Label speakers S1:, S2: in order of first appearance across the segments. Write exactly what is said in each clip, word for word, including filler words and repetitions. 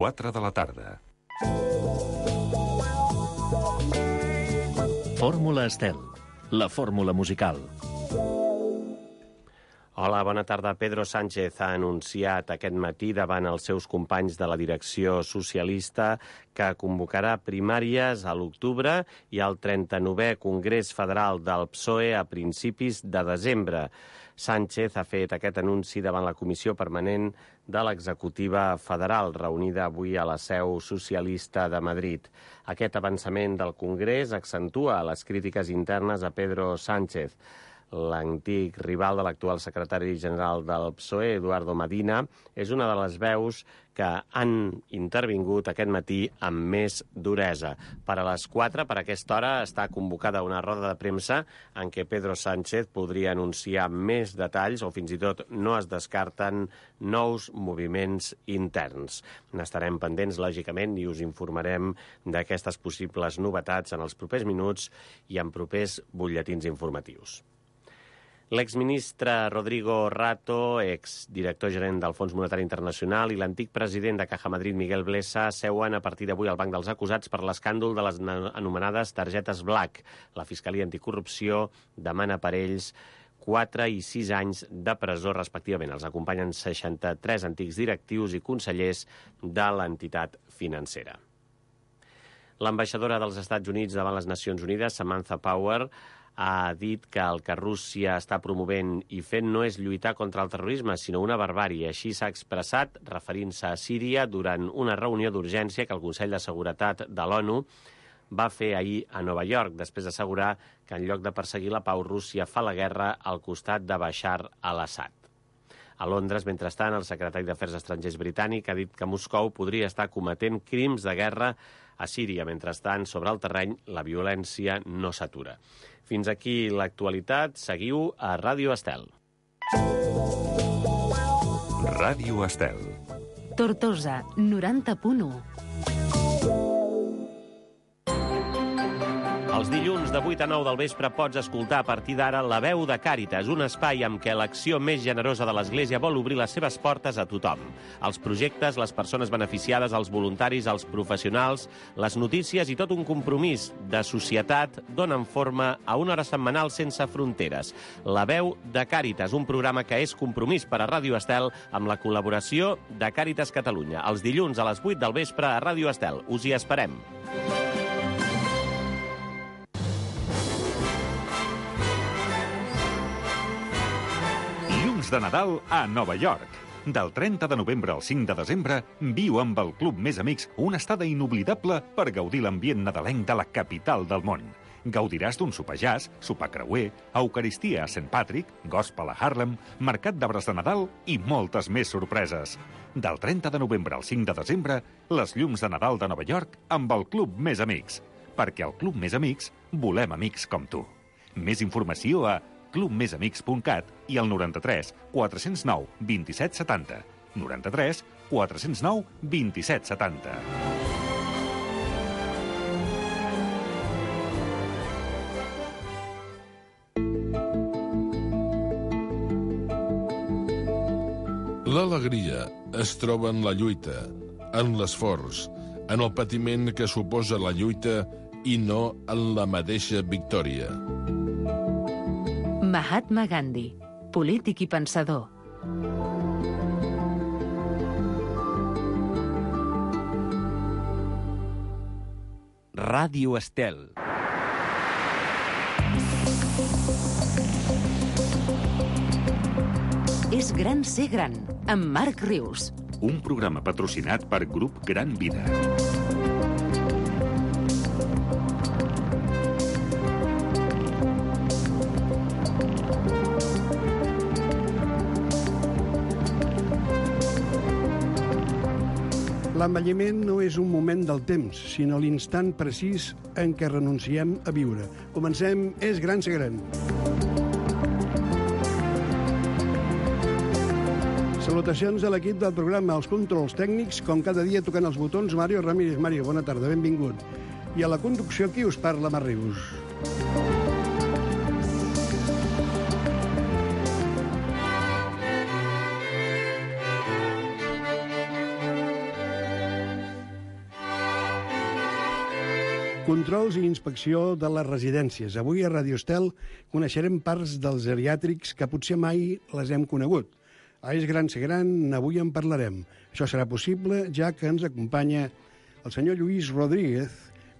S1: quatre de la tarda.
S2: Fórmula Estel, la fórmula musical.
S3: Hola, bona tarda. Pedro Sánchez ha anunciat aquest matí davant els seus companys de la direcció socialista que convocarà primàries a l'octubre i al trenta-novè Congrés Federal del P S O E a principis de desembre. Sánchez ha fet aquest anunci davant la Comissió Permanent de l'Executiva Federal, reunida avui a la seu socialista de Madrid. Aquest avançament del Congrés accentua les crítiques internes a Pedro Sánchez. L'antic rival de l'actual secretari general del P S O E, Eduardo Medina, és una de les veus que han intervingut aquest matí amb més duresa. Per a les quatre, per aquesta hora, està convocada una roda de premsa en què Pedro Sánchez podria anunciar més detalls o fins i tot no es descarten nous moviments interns. N'estarem pendents, lògicament, i us informarem d'aquestes possibles novetats en els propers minuts i en propers butlletins informatius. L'exministre Rodrigo Rato, exdirector gerent del Fons Monetari Internacional, i l'antic president de Caja Madrid, Miguel Blesa, seuen a partir d'avui al banc dels acusats per l'escàndol de les anomenades targetes Black. La Fiscalia Anticorrupció demana per ells quatre i sis anys de presó, respectivament. Els acompanyen seixanta-tres antics directius i consellers de l'entitat financera. L'ambaixadora dels Estats Units davant les Nacions Unides, Samantha Power, ha dit que el que Rússia està promovent i fent no és lluitar contra el terrorisme, sinó una barbàrie. Així s'ha expressat, referint-se a Síria, durant una reunió d'urgència que el Consell de Seguretat de l'ONU va fer ahir a Nova York, després d'assegurar que en lloc de perseguir la pau, Rússia fa la guerra al costat de Bashar al-Assad. A Londres, mentrestant, el secretari d'Afers Estrangers britànic ha dit que Moscou podria estar cometent crims de guerra a Síria. Mentrestant, sobre el terreny, la violència no s'atura. Fins aquí l'actualitat. Seguiu a Ràdio Estel.
S1: Ràdio Estel.
S4: Tortosa, noranta punt u.
S3: Els dilluns de vuit a nou del vespre pots escoltar a partir d'ara La Veu de Càritas, un espai amb què l'acció més generosa de l'Església vol obrir les seves portes a tothom. Els projectes, les persones beneficiades, els voluntaris, els professionals, les notícies i tot un compromís de societat donen forma a una hora setmanal sense fronteres. La Veu de Càritas, un programa que és compromís per a Ràdio Estel amb la col·laboració de Càritas Catalunya. Els dilluns a les vuit del vespre a Ràdio Estel. Us hi esperem.
S1: De Nadal a Nova York. Del trenta de novembre al cinc de desembre, viu amb el Club Més Amics una estada inoblidable per gaudir l'ambient nadalenc de la capital del món. Gaudiràs d'un sopar jazz, sopar creuer, eucaristia a Saint Patrick, gospel a Harlem, mercat d'arbres de Nadal i moltes més sorpreses. Del trenta de novembre al cinc de desembre, les llums de Nadal de Nova York amb el Club Més Amics. Perquè al Club Més Amics volem amics com tu. Més informació a club més amics punt cat i al noranta-tres quatre cents nou vint-i-set setanta. noranta-tres quatre cents nou vint-i-set setanta.
S5: L'alegria es troba en la lluita, en l'esforç, en el patiment que suposa la lluita i no en la mateixa victòria.
S4: Mahatma Gandhi, polític i pensador.
S2: Ràdio Estel.
S4: És gran ser gran, amb Marc Rius.
S1: Un programa patrocinat per Grup Gran Vida.
S6: L'envelliment no és un moment del temps, sinó l'instant precís en què renunciem a viure. Comencem És gran ser gran. Salutacions a l'equip del programa, als controls tècnics, com cada dia tocant els botons, Mario Ramírez. Mario, bona tarda, benvingut. I a la conducció, qui us parla, Marc Rius. Controls i inspecció de les residències. Avui a Radio Estel coneixerem parts dels geriàtrics que potser mai les hem conegut. A És Gran Ser Gran, avui en parlarem. Això serà possible ja que ens acompanya el senyor Lluís Rodríguez,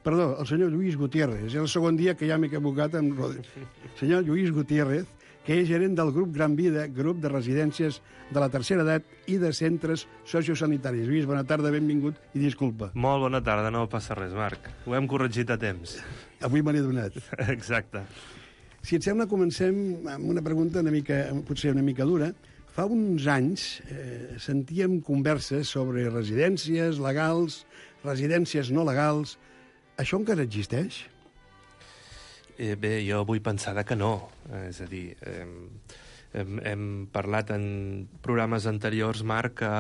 S6: perdó, el senyor Lluís Gutiérrez. És el segon dia que ja m'he equivocat amb Rodríguez. Senyor Lluís Gutiérrez, que és gerent del grup Gran Vida, grup de residències de la tercera edat i de centres sociosanitaris. Lluís, bona tarda, benvingut i disculpa.
S7: Molt bona tarda, no passa res, Marc. Ho hem corregit a temps.
S6: Avui me n'he donat.
S7: Exacte.
S6: Si et sembla, comencem amb una pregunta una mica, potser una mica dura. Fa uns anys eh, sentíem converses sobre residències legals, residències no legals. Això encara existeix?
S7: Eh, bé, jo vull pensar que no. És a dir, eh, hem, hem parlat en programes anteriors, Marc, que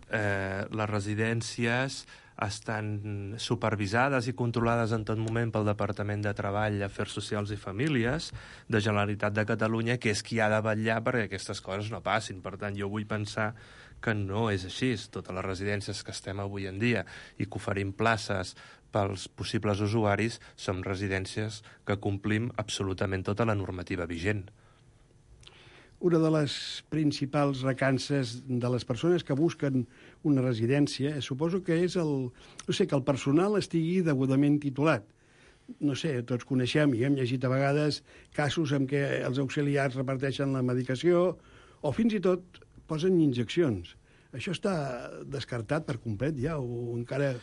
S7: eh, les residències estan supervisades i controlades en tot moment pel Departament de Treball, Afers Socials i Famílies de Generalitat de Catalunya, que és qui ha de vetllar perquè aquestes coses no passin. Per tant, jo vull pensar que no és així. Totes les residències que estem avui en dia i que oferim places pels possibles usuaris som residències que complim absolutament tota la normativa vigent.
S6: Una de les principals recances de les persones que busquen una residència, suposo que és el, no sé, que el personal estigui degudament titulat. No sé, tots coneixem i hem llegit a vegades casos en què els auxiliars reparteixen la medicació o fins i tot posen injeccions. Això està descartat per complet ja o encara...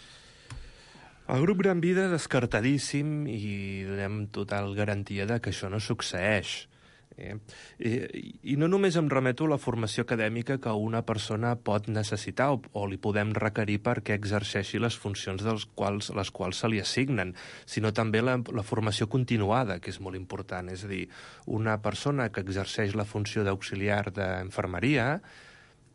S7: El grup Gran Vida descartadíssim i donem total garantia de que això no succeeix. Eh? I, I no només em remeto a la formació acadèmica que una persona pot necessitar o, o li podem requerir perquè exerceixi les funcions dels quals, les quals se li assignen, sinó també la, la formació continuada, que és molt important. És a dir, una persona que exerceix la funció d'auxiliar d'infermeria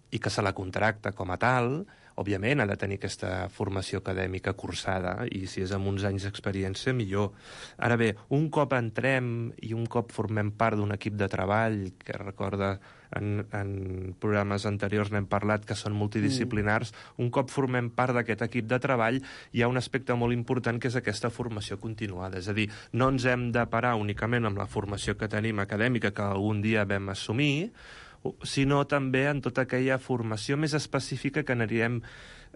S7: i que se la contracta com a tal, òbviament ha de tenir aquesta formació acadèmica cursada i si és amb uns anys d'experiència, millor. Ara bé, un cop entrem i un cop formem part d'un equip de treball, que recorda en, en programes anteriors n'hem parlat que són multidisciplinars, mm. un cop formem part d'aquest equip de treball hi ha un aspecte molt important que és aquesta formació continuada. És a dir, no ens hem de parar únicament amb la formació que tenim acadèmica que algun dia vam assumir, sinó també en tota aquella formació més específica que anirem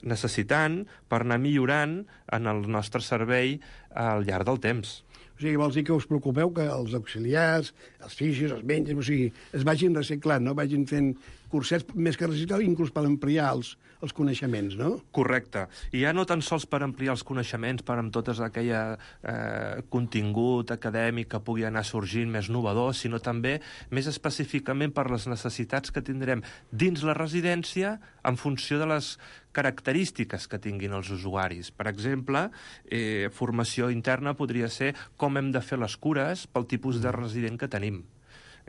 S7: necessitant per anar millorant en el nostre servei al llarg del temps.
S6: O sigui, vols dir que us preocupeu que els auxiliars, els fisios, els metges, o sigui, es vagin reciclant, no? Vagin fent cursets més que reciclar, inclús per ampliar els, els coneixements, no?
S7: Correcte. I ja no tan sols per ampliar els coneixements, per amb tot aquell eh, contingut acadèmic que pugui anar sorgint més novedor, sinó també més específicament per les necessitats que tindrem dins la residència en funció de les característiques que tinguin els usuaris. Per exemple, eh, formació interna podria ser com hem de fer les cures pel tipus de resident que tenim.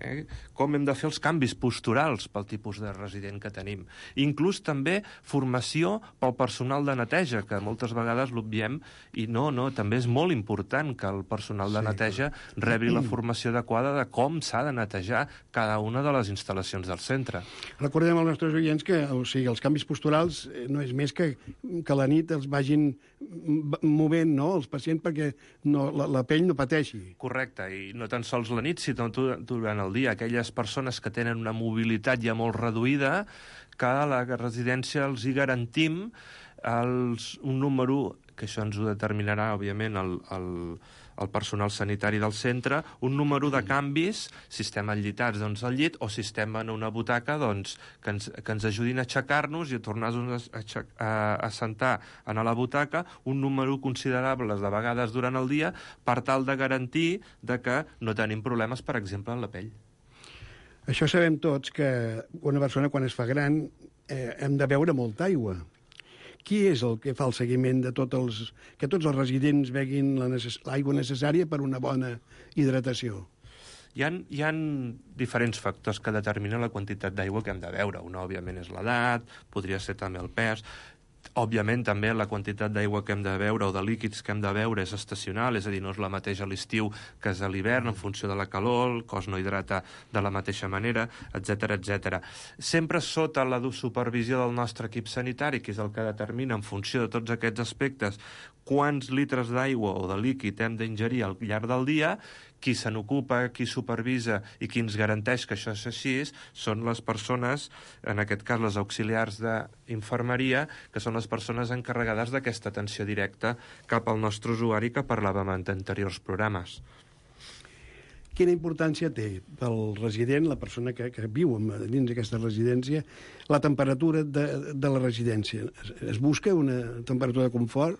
S7: Eh? Com hem de fer els canvis posturals pel tipus de resident que tenim. Inclús també formació pel personal de neteja, que moltes vegades l'obviem, i no, no, també és molt important que el personal de neteja rebi la formació adequada de com s'ha de netejar cada una de les instal·lacions del centre.
S6: Recordem als nostres oients que o sigui, els canvis posturals no és més que que a la nit els vagin movent, no?, els pacients perquè no, la, la pell no pateixi.
S7: Correcte, i no tan sols la nit, sinó durant el dia. Aquelles persones que tenen una mobilitat ja molt reduïda, que a la residència els hi garantim els, un número, que això ens ho determinarà, òbviament, el, el, el personal sanitari del centre, un número de canvis, si estem enllitats doncs, al llit, o si estem en una butaca doncs, que, ens, que ens ajudin a aixecar-nos i a tornar-nos a, a, a sentar en la butaca un número considerable de vegades durant el dia per tal de garantir de que no tenim problemes, per exemple, en la pell.
S6: Això sabem tots, que una persona quan es fa gran eh, hem de beure molta aigua. Qui és el que fa el seguiment de tots els... que tots els residents beguin l'aigua necessària per una bona hidratació?
S7: Hi ha, hi ha diferents factors que determinen la quantitat d'aigua que hem de beure. Una, òbviament, és l'edat, podria ser també el pes. Òbviament, també la quantitat d'aigua que hem de beure o de líquids que hem de beure és estacional, és a dir, no és la mateixa a l'estiu que és a l'hivern, en funció de la calor, el cos no hidrata de la mateixa manera, etcètera, etcètera. Sempre sota la supervisió del nostre equip sanitari, que és el que determina en funció de tots aquests aspectes quants litres d'aigua o de líquid hem d'ingerir al llarg del dia. Qui se n'ocupa, qui supervisa i qui ens garanteix que això és així són les persones, en aquest cas les auxiliars d'infermeria, que són les persones encarregades d'aquesta atenció directa cap al nostre usuari que parlàvem en anteriors programes.
S6: Quina importància té pel resident, la persona que, que viu dins d'aquesta residència, la temperatura de, de la residència? Es, es busca una temperatura de confort?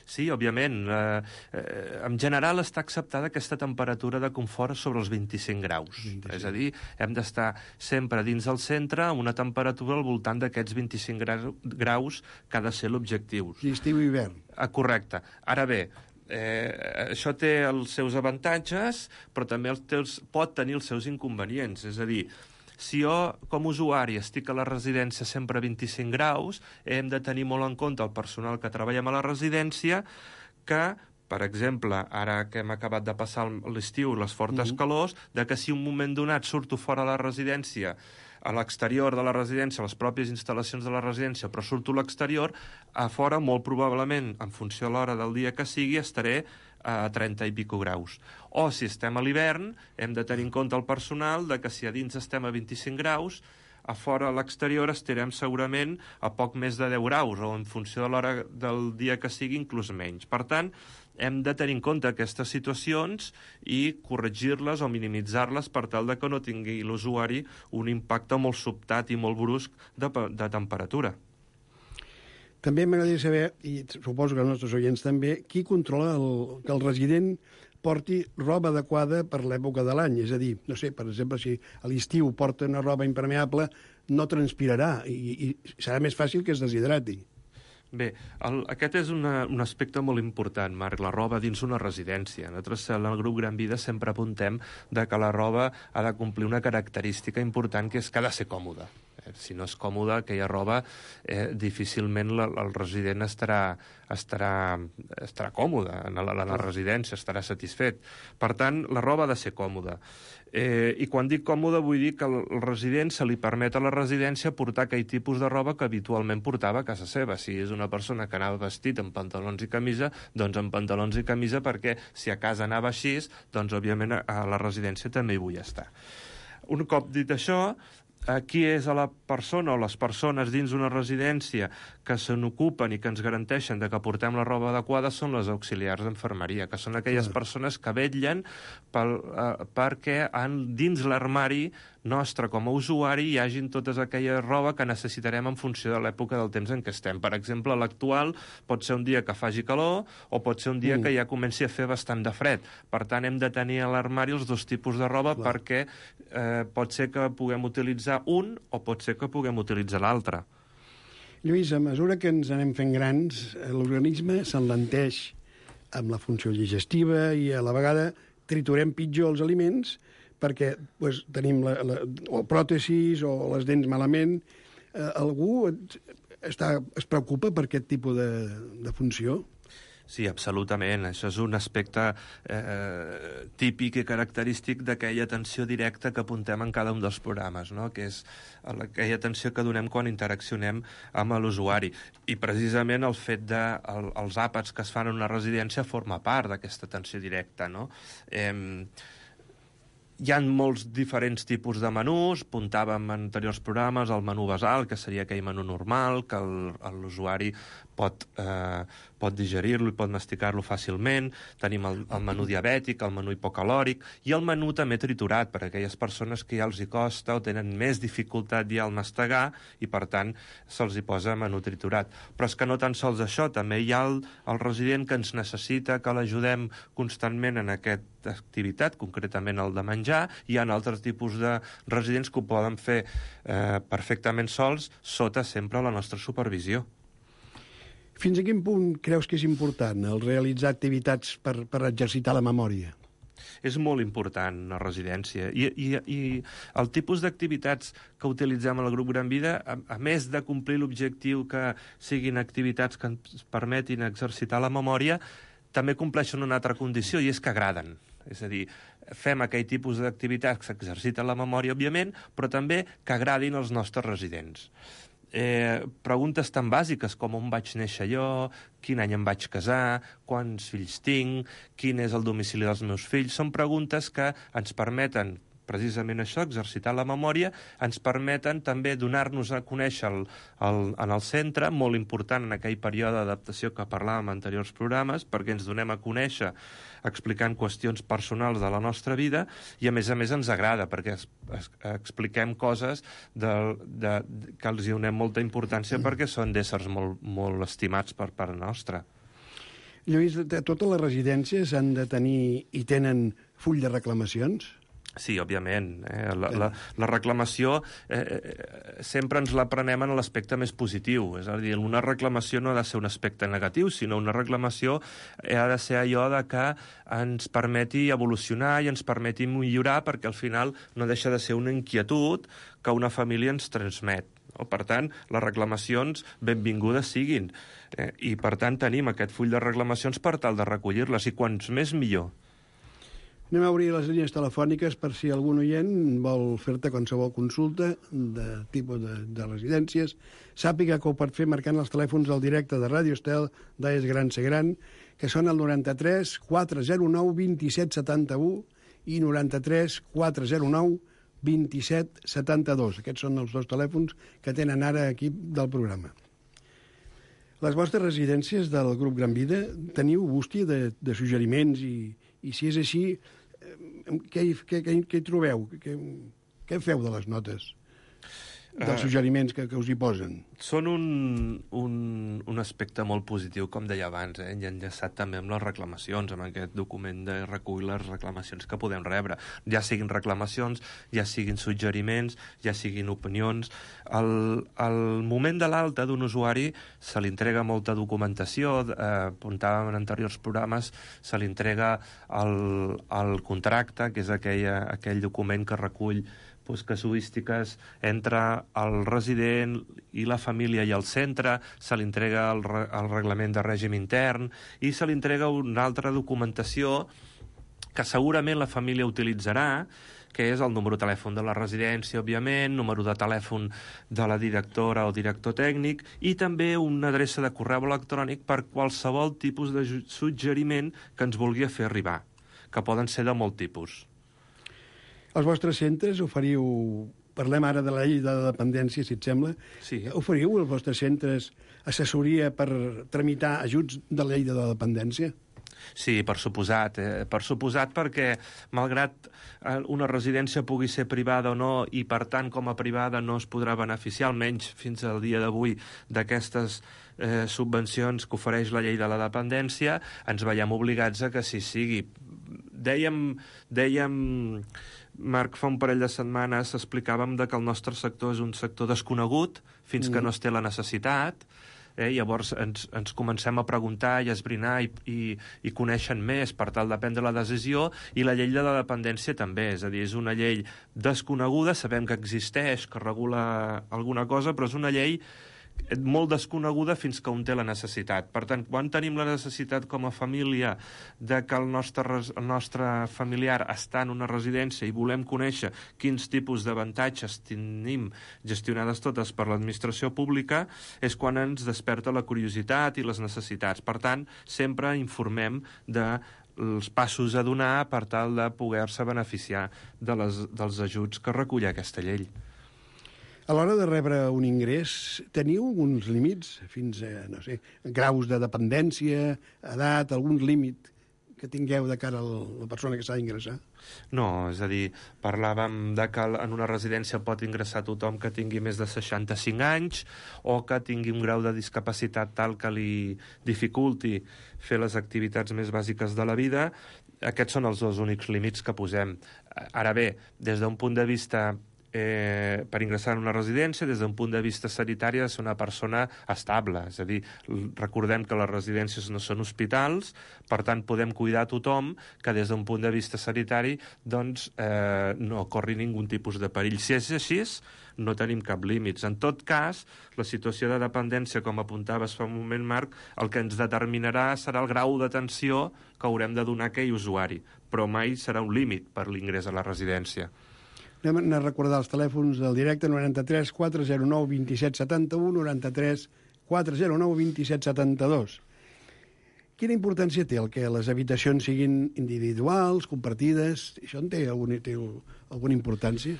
S7: Sí, òbviament. Eh, eh, en general està acceptada aquesta temperatura de confort sobre els vint-i-cinc graus. vint-i-cinc. És a dir, hem d'estar sempre dins del centre amb una temperatura al voltant d'aquests vint-i-cinc graus que ha de ser l'objectiu.
S6: Estiu i hivern.
S7: Ah, correcte. Ara bé, eh, això té els seus avantatges, però també els teus, pot tenir els seus inconvenients. És a dir, si jo, com a usuari, estic a la residència sempre a vint-i-cinc graus, hem de tenir molt en compte el personal que treballem a la residència, que, per exemple, ara que hem acabat de passar l'estiu, les fortes uh-huh. calors, de que si un moment donat surto fora de la residència, a l'exterior de la residència, a les pròpies instal·lacions de la residència, però surto a l'exterior, a fora, molt probablement, en funció de l'hora del dia que sigui, estaré a trenta i pico graus. O, si estem a l'hivern, hem de tenir en compte el personal de que si a dins estem a vint-i-cinc graus, a fora a l'exterior estarem segurament a poc més de deu graus, o en funció de l'hora del dia que sigui, inclús menys. Per tant, hem de tenir en compte aquestes situacions i corregir-les o minimitzar-les per tal de que no tingui l'usuari un impacte molt sobtat i molt brusc de, de temperatura.
S6: També m'agradaria saber, i suposo que els nostres oients també, qui controla el, que el resident porti roba adequada per l'època de l'any. És a dir, no sé, per exemple, si a l'estiu porta una roba impermeable, no transpirarà i, i serà més fàcil que es deshidrati.
S7: Bé, el, aquest és una, un aspecte molt important, Marc, la roba dins una residència. Nosaltres, en el grup Gran Vida, sempre apuntem de que la roba ha de complir una característica important, que és que ha de ser còmoda. Eh, si no és còmoda, aquella roba, eh, difícilment la, el resident estarà, estarà, estarà còmode en la, en la residència, estarà satisfet. Per tant, la roba ha de ser còmoda. Eh, I quan dic còmode vull dir que el resident se li permet a la residència portar aquell tipus de roba que habitualment portava a casa seva. Si és una persona que anava vestit amb pantalons i camisa, doncs amb pantalons i camisa, perquè si a casa anava així, doncs òbviament a la residència també hi vull estar. Un cop dit això, qui és a la persona o les persones dins una residència que se n'ocupen i que ens garanteixen de que portem la roba adequada són les auxiliars d'enfermeria, que són aquelles ah. persones que vetllen pel, eh, perquè en, dins l'armari nostre com a usuari hi hagin totes aquella roba que necessitarem en funció de l'època del temps en què estem. Per exemple, l'actual pot ser un dia que faci calor o pot ser un dia mm. que ja comenci a fer bastant de fred. Per tant, hem de tenir a l'armari els dos tipus de roba Clar. perquè eh, pot ser que puguem utilitzar un o pot ser que puguem utilitzar l'altre.
S6: Lluís, a mesura que ens anem fent grans, l'organisme s'enlenteix amb la funció digestiva i a la vegada triturem pitjor els aliments perquè pues, tenim la, la, o pròtesis o les dents malament. Eh, algú està, es preocupa per aquest tipus de, de funció?
S7: Sí, absolutament. Això és un aspecte eh, típic i característic d'aquella atenció directa que apuntem en cada un dels programes, no? Que és aquella atenció que donem quan interaccionem amb l'usuari. I precisament el fet de el, els àpats que es fan en una residència forma part d'aquesta atenció directa, no? Eh, Hi ha molts diferents tipus de menús, apuntàvem en anteriors programes el menú basal, que seria aquell menú normal, que l'usuari pot, eh, pot digerir-lo i pot masticar-lo fàcilment. Tenim el, el menú diabètic, el menú hipocalòric, i el menú també triturat, per a aquelles persones que ja els hi costa o tenen més dificultat ja al mastegar, i per tant se'ls hi posa menú triturat. Però és que no tan sols això, també hi ha el, el resident que ens necessita que l'ajudem constantment en aquesta activitat, concretament el de menjar. Hi ha altres tipus de residents que ho poden fer eh, perfectament sols, sota sempre la nostra supervisió.
S6: Fins a quin punt creus que és important el realitzar activitats per, per exercitar la memòria?
S7: És molt important una residència. I, i, i el tipus d'activitats que utilitzem al grup Gran Vida, a, a més de complir l'objectiu que siguin activitats que ens permetin exercitar la memòria, també compleixen una altra condició, i és que agraden. És a dir, fem aquell tipus d'activitats que s'exerciten la memòria, òbviament, però també que agradin als nostres residents. eh, preguntes tan bàsiques com on vaig néixer jo, quin any em vaig casar, quants fills tinc, quin és el domicili dels meus fills. Són preguntes que ens permeten precisament això, exercitar la memòria, ens permeten també donar-nos a conèixer el, el, en el centre, molt important en aquell període d'adaptació que parlàvem en anteriors programes, perquè ens donem a conèixer explicant qüestions personals de la nostra vida i, a més a més, ens agrada, perquè es, es, expliquem coses de, de, de, que els hi donem molta importància mm. perquè són d'éssers molt, molt estimats per part nostra.
S6: Lluís, totes les residències han de tenir i tenen full de reclamacions?
S7: Sí, òbviament. Eh? La, la, la reclamació eh, sempre ens la prenem en l'aspecte més positiu. És a dir, una reclamació no ha de ser un aspecte negatiu, sinó una reclamació ha de ser allò de que ens permeti evolucionar i ens permeti millorar, perquè al final no deixa de ser una inquietud que una família ens transmet. Per tant, les reclamacions benvingudes siguin. Eh? I, per tant, tenim aquest full de reclamacions per tal de recollir-les, i quants més millor.
S6: Anem a obrir les línies telefòniques per si algun oient vol fer-te qualsevol consulta de tipus de, de residències. Sàpiga que ho pot fer marcant els telèfons del directe de Ràdio Estel d'A És Gran Ser Gran, que són el noranta-tres quatre zero nou vint-i-set setanta-u i noranta-tres quatre zero nou vint-i-set setanta-dos. Aquests són els dos telèfons que tenen ara equip del programa. Les vostres residències del grup Gran Vida teniu bústia de, de suggeriments i, i si és així, què, què, què, què hi trobeu? Què, què feu de les notes? Dels suggeriments que, que us hi posen?
S7: Són un, un, un aspecte molt positiu, com deia abans, eh? I enllaçat també amb les reclamacions, amb aquest document de recull les reclamacions que podem rebre. Ja siguin reclamacions, ja siguin suggeriments, ja siguin opinions. Al, al moment de l'alta d'un usuari se li entrega molta documentació, eh, apuntàvem en anteriors programes, se li entrega el, el contracte, que és aquella, aquell document que recull pues, casuístiques entre el resident i la família i el centre, se li entrega el, re, el reglament de règim intern i se li entrega una altra documentació que segurament la família utilitzarà, que és el número de telèfon de la residència, òbviament, número de telèfon de la directora o director tècnic i també una adreça de correu electrònic per qualsevol tipus de suggeriment que ens vulgui fer arribar, que poden ser de molt tipus.
S6: Els vostres centres oferiu, parlem ara de la llei de dependència, si et sembla,
S7: sí.
S6: Oferiu als vostres centres assessoria per tramitar ajuts de la llei de dependència?
S7: Sí, per suposat, eh? per suposat perquè, malgrat una residència pugui ser privada o no, i per tant com a privada no es podrà beneficiar, almenys fins al dia d'avui, d'aquestes eh, subvencions que ofereix la llei de la dependència, ens veiem obligats a que sí sigui. Dèiem... dèiem Marc, fa un parell de setmanes explicàvem de que el nostre sector és un sector desconegut fins mm. que no es té la necessitat. Eh? Llavors ens, ens comencem a preguntar i a esbrinar i, i, i coneixen més per tal de prendre la decisió, i la llei de la dependència també, és a dir, és una llei desconeguda, sabem que existeix, que regula alguna cosa, però és una llei molt desconeguda fins que un té la necessitat. Per tant, quan tenim la necessitat com a família de que el nostre, el nostre familiar està en una residència i volem conèixer quins tipus d'avantatges tenim gestionades totes per l'administració pública, és quan ens desperta la curiositat i les necessitats. Per tant, sempre informem de els passos a donar per tal de poder-se beneficiar de les, dels ajuts que recull aquesta llei.
S6: A l'hora de rebre un ingrés, teniu alguns límits, fins a, no sé, graus de dependència, edat, algun límit que tingueu de cara a la persona que s'ha d'ingressar?
S7: No, és a dir, parlàvem de que en una residència pot ingressar tothom que tingui més de seixanta-cinc anys o que tingui un grau de discapacitat tal que li dificulti fer les activitats més bàsiques de la vida. Aquests són els dos únics límits que posem. Ara bé, des d'un punt de vista Eh, per ingressar en una residència, des d'un punt de vista sanitari, ha de ser una persona estable. És a dir, recordem que les residències no són hospitals, per tant podem cuidar a tothom que des d'un punt de vista sanitari doncs, eh, no corri ningun tipus de perill. Si és així, no tenim cap límits. En tot cas, la situació de dependència, com apuntaves fa un moment, Marc, el que ens determinarà serà el grau d'atenció que haurem de donar a aquell usuari, però mai serà un límit per l'ingrés a la residència.
S6: Anem a recordar els telèfons del directe, noranta-tres quatre zero nou vint set setanta-u, noranta-tres quatre zero nou vint set setanta-dos. Quina importància té el que les habitacions siguin individuals, compartides? Això en té alguna, té alguna importància?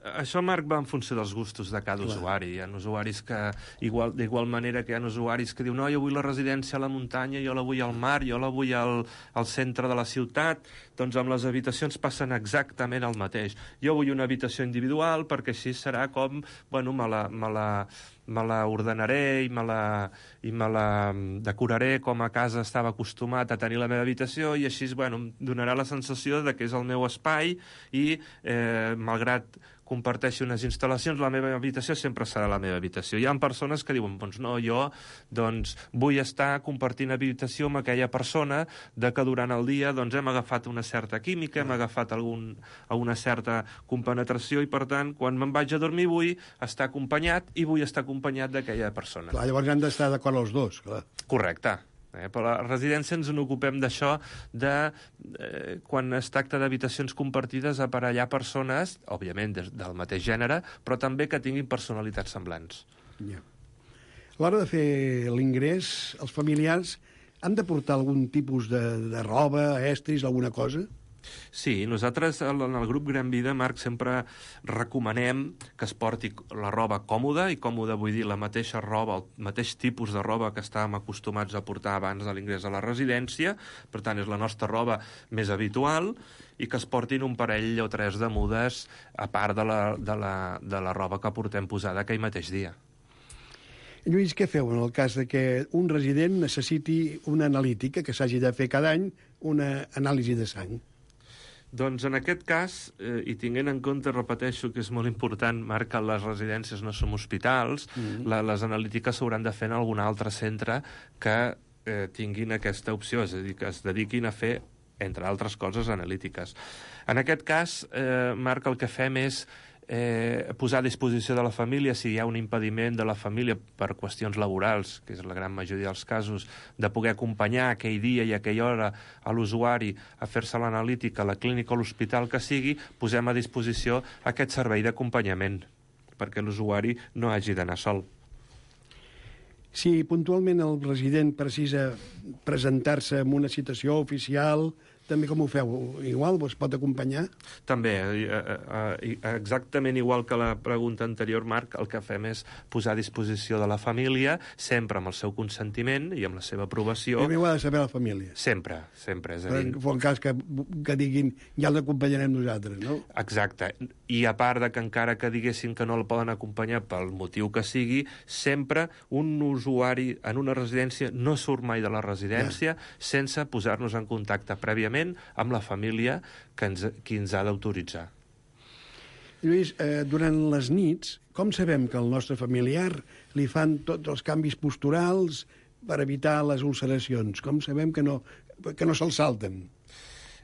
S7: Això, Marc, va en funció dels gustos de cada Clar. usuari. Hi ha usuaris que, igual, d'igual manera que hi ha usuaris que diuen no, jo vull la residència a la muntanya, jo la vull al mar, jo la vull al, al centre de la ciutat, doncs amb les habitacions passen exactament el mateix. Jo vull una habitació individual perquè així serà com, bueno, me la, me la, me la ordenaré i me la, i me la decoraré com a casa estava acostumat a tenir la meva habitació i així, bueno, em donarà la sensació de que és el meu espai i, eh, malgrat comparteixi unes instal·lacions, la meva habitació sempre serà la meva habitació. Hi ha persones que diuen, doncs no, jo doncs, vull estar compartint habitació amb aquella persona de que durant el dia doncs, hem agafat una certa química, hem agafat algun, una certa compenetració i, per tant, quan me'n vaig a dormir vull estar acompanyat i vull estar acompanyat d'aquella persona.
S6: Clar, llavors han d'estar d'acord els dos, clar.
S7: Correcte. Eh, però a la residència ens n'ocupem d'això, de eh, quan es tracta d'habitacions compartides, aparellar persones, òbviament des, del mateix gènere, però també que tinguin personalitats semblants.
S6: Ja. A l'hora de fer l'ingrés, els familiars han de portar algun tipus de, de roba, estris, alguna cosa?
S7: Sí, nosaltres en el grup Gran Vida, Marc, sempre recomanem que es porti la roba còmoda, i còmoda vull dir la mateixa roba, el mateix tipus de roba que estàvem acostumats a portar abans de l'ingrés a la residència, per tant és la nostra roba més habitual, i que es portin un parell o tres de mudes a part de la, de la, de la roba que portem posada aquell mateix dia.
S6: Lluís, què feu en el cas de que un resident necessiti una analítica, que s'hagi de fer cada any una anàlisi de sang?
S7: Doncs en aquest cas, eh, i tinguent en compte, repeteixo que és molt important, Marc, que les residències no som hospitals, mm-hmm. la, les analítiques s'hauran de fer en algun altre centre que eh, tinguin aquesta opció, és a dir, que es dediquin a fer, entre altres coses, analítiques. En aquest cas, eh, Marc, el que fem és eh, posar a disposició de la família, si hi ha un impediment de la família per qüestions laborals, que és la gran majoria dels casos, de poder acompanyar aquell dia i aquella hora a l'usuari a fer-se l'analítica a la clínica o l'hospital que sigui, posem a disposició aquest servei d'acompanyament, perquè l'usuari no hagi d'anar sol.
S6: Si puntualment el resident precisa presentar-se en una citació oficial, també com ho feu? Igual es pot acompanyar?
S7: També, exactament igual que la pregunta anterior, Marc, el que fem és posar a disposició de la família, sempre amb el seu consentiment i amb la seva aprovació.
S6: Primer ho ha de saber la família.
S7: Sempre, sempre. És a dir...
S6: Per en cas que, que diguin, ja l'acompanyarem nosaltres, no?
S7: Exacte. I a part de que encara que diguessin que no el poden acompanyar pel motiu que sigui, sempre un usuari en una residència no surt mai de la residència ja. sense posar-nos en contacte prèviament amb la família que ens, qui ens ha d'autoritzar.
S6: Lluís, eh, durant les nits, com sabem que al nostre familiar li fan tots els canvis posturals per evitar les ulceracions? Com sabem que no, que no se'ls salten?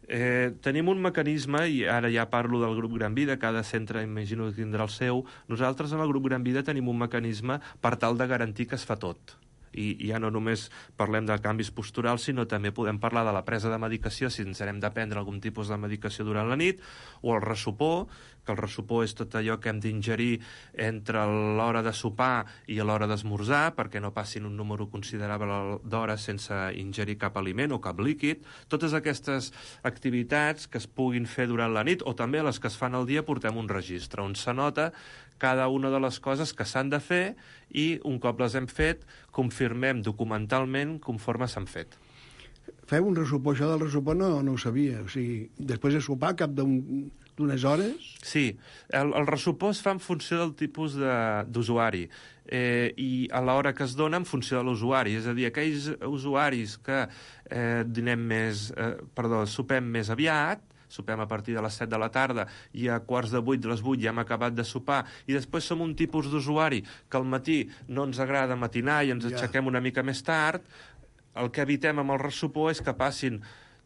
S7: Eh, tenim un mecanisme, i ara ja parlo del grup Gran Vida, cada centre imagino que tindrà el seu. Nosaltres en el grup Gran Vida tenim un mecanisme per tal de garantir que es fa tot. I ja no només parlem de canvis posturals, sinó també podem parlar de la presa de medicació, si ens hem de prendre algun tipus de medicació durant la nit, o el ressopor, que el ressopor és tot allò que hem d'ingerir entre l'hora de sopar i l'hora d'esmorzar, perquè no passin un número considerable d'hores sense ingerir cap aliment o cap líquid. Totes aquestes activitats que es puguin fer durant la nit, o també les que es fan al dia, portem un registre on s'anota cada una de les coses que s'han de fer i, un cop les hem fet, confirmem documentalment conforme s'han fet.
S6: Feu un ressopor, això del ressopor no, no ho sabia. O sigui, després de sopar, cap d'unes hores?
S7: Sí, el, el ressopor es fa en funció del tipus d'usuari eh, i a l'hora que es dona en funció de l'usuari. És a dir, aquells usuaris que eh, dinem més, eh, perdó, sopem més aviat, sopem a partir de les set de la tarda i a quarts de vuit, de les vuit ja hem acabat de sopar, i després som un tipus d'usuari que al matí no ens agrada matinar i ens aixequem una mica més tard, el que evitem amb el ressopor és que passin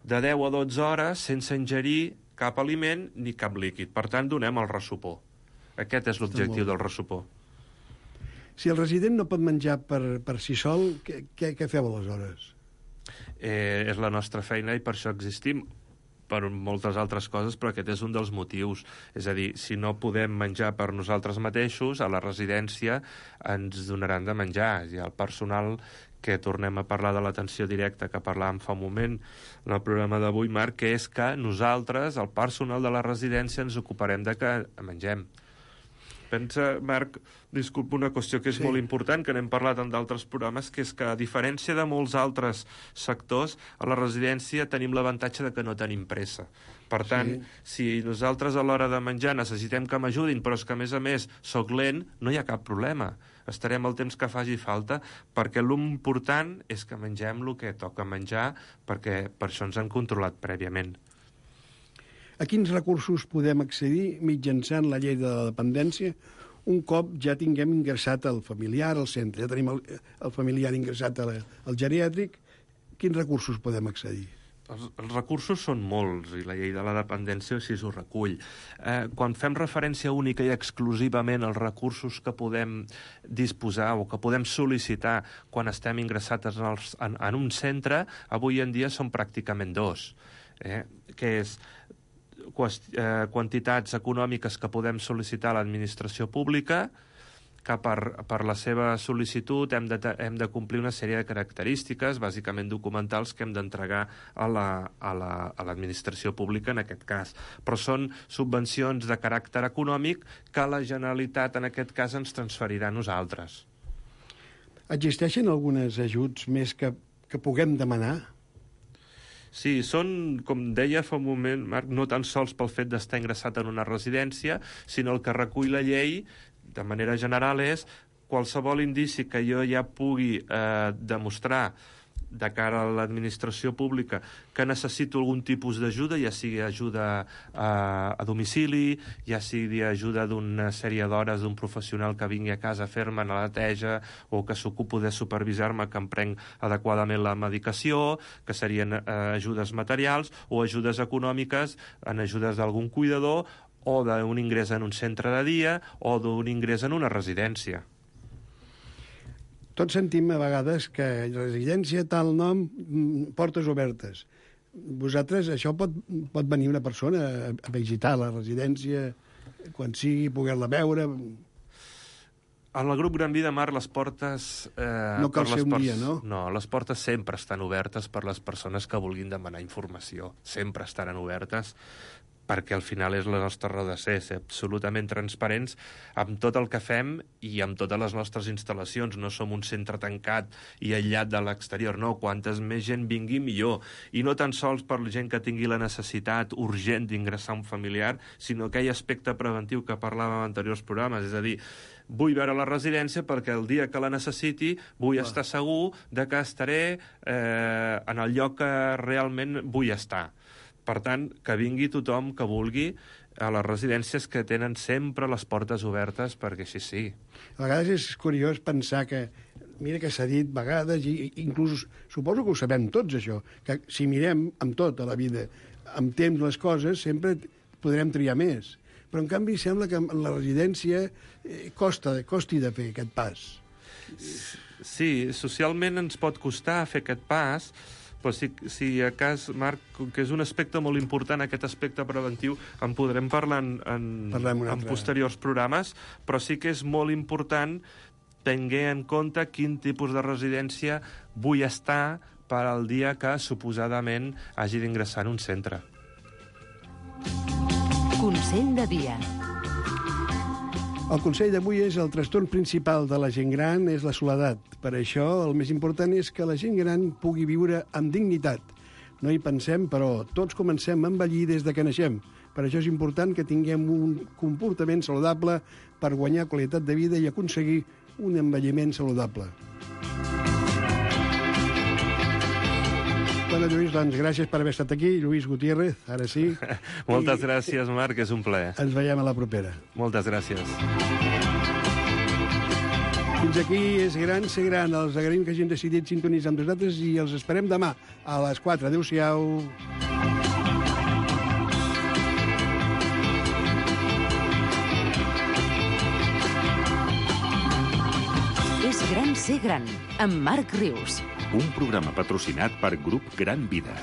S7: de deu a dotze hores sense ingerir cap aliment ni cap líquid. Per tant, donem el ressopor. Aquest és l'objectiu del ressopor.
S6: Si el resident no pot menjar per, per si sol, què, què, què feu aleshores?
S7: Eh, és la nostra feina i per això existim. per moltes altres coses, però aquest és un dels motius. És a dir, si no podem menjar per nosaltres mateixos, a la residència ens donaran de menjar. I el personal, que tornem a parlar de l'atenció directa que parlàvem fa un moment en el programa d'avui, Marc, que és que nosaltres, el personal de la residència, ens ocuparem de que mengem. Pensa, Marc, disculpa, una qüestió que és sí. molt important, que n'hem parlat en d'altres programes, que és que, a diferència de molts altres sectors, a la residència tenim l'avantatge de que no tenim pressa. Per tant, sí. si nosaltres a l'hora de menjar necessitem que m'ajudin, però és que, a més a més, soc lent, no hi ha cap problema. Estarem el temps que faci falta, perquè l'important és que mengem el que toca menjar, perquè per això ens han controlat prèviament.
S6: A quins recursos podem accedir mitjançant la llei de la dependència un cop ja tinguem ingressat el familiar al centre? Ja tenim el, el familiar ingressat al, al geriàtric. Quins recursos podem accedir?
S7: Els, els recursos són molts, i la llei de la dependència així ho recull. Eh, quan fem referència única i exclusivament als recursos que podem disposar o que podem sol·licitar quan estem ingressats en, els, en, en un centre, avui en dia són pràcticament dos, eh, que és quantitats econòmiques que podem sol·licitar a l'administració pública, que per, per la seva sol·licitud hem de, hem de complir una sèrie de característiques, bàsicament documentals, que hem d'entregar a la, a la, a l'administració pública en aquest cas. Però són subvencions de caràcter econòmic que la Generalitat en aquest cas ens transferirà a nosaltres.
S6: Existeixen alguns ajuts més que, que puguem demanar?
S7: Sí, són, com deia fa un moment, Marc, no tan sols pel fet d'estar ingressat en una residència, sinó el que recull la llei, de manera general, és qualsevol indici que jo ja pugui eh, demostrar de cara a l'administració pública que necessito algun tipus d'ajuda, ja sigui ajuda a, a domicili, ja sigui ajuda d'una sèrie d'hores d'un professional que vingui a casa a fer-me la neteja o que s'ocupo de supervisar-me que em prenc adequadament la medicació, que serien eh, ajudes materials o ajudes econòmiques en ajudes d'algun cuidador o d'un ingrés en un centre de dia o d'un ingrés en una residència.
S6: Tots sentim a vegades que residència, tal nom, portes obertes. Vosaltres, això pot, pot venir una persona a visitar la residència quan sigui, poder-la veure...
S7: En el grup Gran Vida, Marc, les portes... Eh,
S6: no cal
S7: per
S6: ser
S7: les
S6: un dia, no?
S7: No, les portes sempre estan obertes per les persones que vulguin demanar informació. Sempre estaran obertes, perquè al final és la nostra raó de ser, ser absolutament transparents amb tot el que fem i amb totes les nostres instal·lacions. No som un centre tancat i aïllat de l'exterior, no. Quantes més gent vingui, millor. I no tan sols per la gent que tingui la necessitat urgent d'ingressar un familiar, sinó aquell aspecte preventiu que parlàvem en anteriors programes, és a dir, vull veure la residència perquè el dia que la necessiti vull estar segur de que estaré eh, en el lloc que realment vull estar. Per tant, que vingui tothom que vulgui a les residències, que tenen sempre les portes obertes, perquè així sí.
S6: A vegades és curiós pensar que, mira que s'ha dit vegades, i inclús suposo que ho sabem tots, això, que si mirem amb tot a la vida, amb temps les coses, sempre podrem triar més. Però, en canvi, sembla que en la residència eh, costa, costi de fer aquest pas.
S7: Sí, socialment ens pot costar fer aquest pas, però si, si a cas, Marc, que és un aspecte molt important, aquest aspecte preventiu, en podrem parlar en, en, en posteriors programes, però sí que és molt important tenir en compte quin tipus de residència vull estar per al dia que suposadament hagi d'ingressar en un centre.
S4: Consell de dia.
S6: El consell d'avui és el trastorn principal de la gent gran és la soledat. Per això el més important és que la gent gran pugui viure amb dignitat. No hi pensem, però tots comencem a envellir des de que naixem. Per això és important que tinguem un comportament saludable per guanyar qualitat de vida i aconseguir un envelliment saludable. Bueno, Lluís, doncs gràcies per haver estat aquí. Lluís Gutiérrez, ara sí.
S7: Moltes I... gràcies, Marc, és un plaer.
S6: Ens veiem a la propera.
S7: Moltes gràcies.
S6: Fins aquí és Gran Ser Gran. Els agraïm que hagin decidit sintonitzar amb nosaltres i els esperem demà a les quatre. Adéu-siau.
S4: És Gran Ser Gran, amb Marc Rius.
S1: Un programa patrocinat per Grup Gran Vida.